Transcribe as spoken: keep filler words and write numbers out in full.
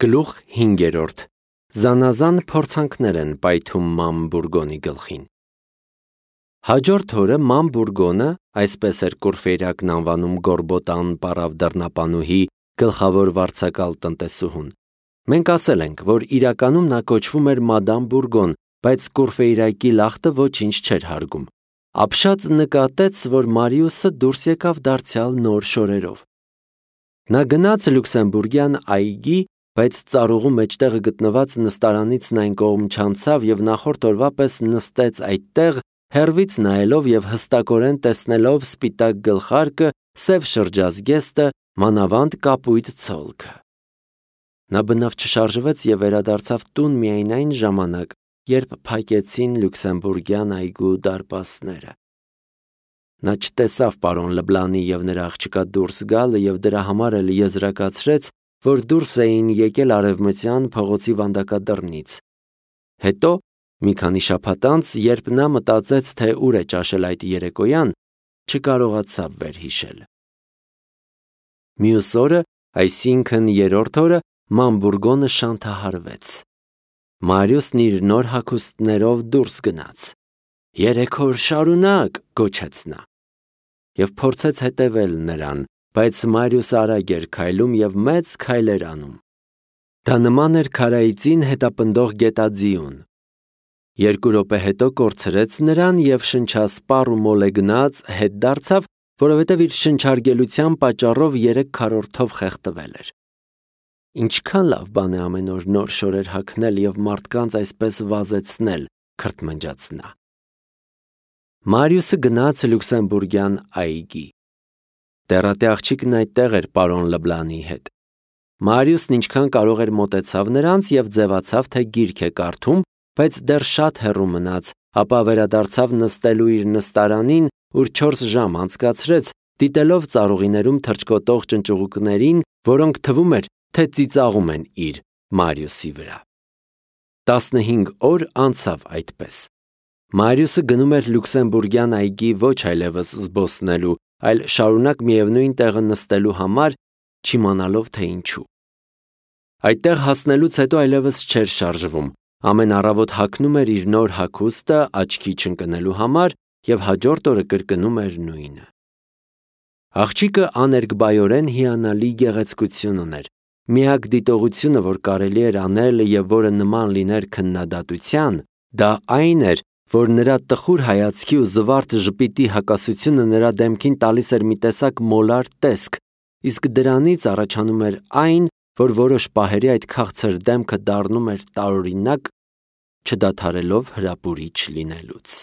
Գլուխ հինգերորդ. Զանազան փորձանքներ են պայթում Ման Բուրգոնի գլխին։ Հաջորդ օրը Ման Բուրգոնը, այսպես էր Կուրֆեյրակն անվանում Գորբոտան պարավ դռնապանուհի գլխավոր վարձակալ տնտեսուհուն։ Մենք ասել ենք, որ իրականում նա կոչվում էր Մադամ Բուրգոն, բայց Կուրֆեյրակի լախտը ոչինչ չէր հարգում։ Ապշած նկատեց, որ Մարիուսը դուրս եկավ դարձյալ նոր շորերով։ Նա գնաց Լյուքսեմբուրգյան այգի, բայց ծառուղու մեջտեղը գտնված նստարանից նա այն կողմ չանցավ և նախորդ օրվա պես նստեց այդտեղ, հեռվից նայելով և հստակորեն տեսնելով սպիտակ գլխարկը, սև շրջազգեստը, մանավանդ կապույտ ցոլքը։ Նա բնավ չշարժվեց և վերադարձավ տուն միայն այն ժամանակ, երբ փակեցին Լյուքսեմբուրգյան այգու դարպասները։ Նա չտեսավ պարոն Լեբլանի և նրա աղջկա դուրս գալը և դրա համար էլ եզրակացրեց, որ դուրս էին եկել արևմտյան փողոցի վանդակադռնից։ Հետո, մի քանի շաբաթ անց, երբ նա մտածեց, թե ուր է ճաշել այդ երեկոյան, չկարողացավ վերհիշել։ Մյուս օրը, այսինքն երրորդ օրը, Ման Բուրգոնը շանթահարվեց։ Մարիուսն իր նոր հագուստներով դուրս գնաց։ «Երեք օր շարունակ», գոչեց նա։ Եվ փորձեց հետևել նրան, բայց Մարիուսը արագ էր քայլում և մեծ քայլեր անում։ Դա նման էր քարայծին հետապնդող գետաձիուն։ Երկու րոպե հետո կորցրեց նրան և շնչասպառ ու մոլեգնած հետ դարձավ, որովհետև իր շնչարգելության պատճառով երեք քառորդով խեղդվել էր։ Ինչքան լավ բան է ամեն օր նոր շորեր հագնել և մարդկանց այսպես վազեցնել, քրթմնջաց նա։ Մարիուսը գնաց Լյուքսեմբուրգյան այգի։ Տեռատե աղջիկն այդտեղ էր պարոն Լեբլանի հետ։ Մարիուսն ինչքան կարող էր մոտեցավ նրանց և ձևացավ, թե գիրք է կարդում, բայց դեռ շատ հեռու մնաց, ապա վերադարձավ նստելու իր նստարանին, ուր չորս ժամ անցկացրեց, դիտելով ծառուղիներում թռչկոտող ճնճուղուկներին, որոնք թվում էր, թե ծիծաղում են իր Մարիուսի վրա։ Տասնհինգ օր անցավ այդպես։ Մարիուսը գնում էր Լյուքսեմբուրգյան այգի ոչ այլևս զբոսնելու, այլ շարունակ միևնույն տեղը նստելու համար, չիմանալով թե ինչու։ Այդտեղ հասնելուց հետո այլևս չէր շարժվում, ամեն առավոտ հագնում էր իր նոր հագուստը աչքի չընկնելու համար և հաջորդ օրը կրկնում էր նույնը։ Աղջիկը աներկբայորեն հիանալի գեղեցկություն ուներ։ Միակ դիտողությունը, որ կարելի էր անել և որը նման լիներ քննադատության, դա այն էր, որ նրա տխուր հայացքի ու զվարթ ժպիտի հակասությունը նրա դեմքին տալիս էր մի տեսակ մոլար տեսք, իսկ դրանից առաջանում էր այն, որ որոշ պահերի այդ քաղցր դեմքը դառնում էր տարօրինակ, չդադարելով հրապուրիչ լինելուց։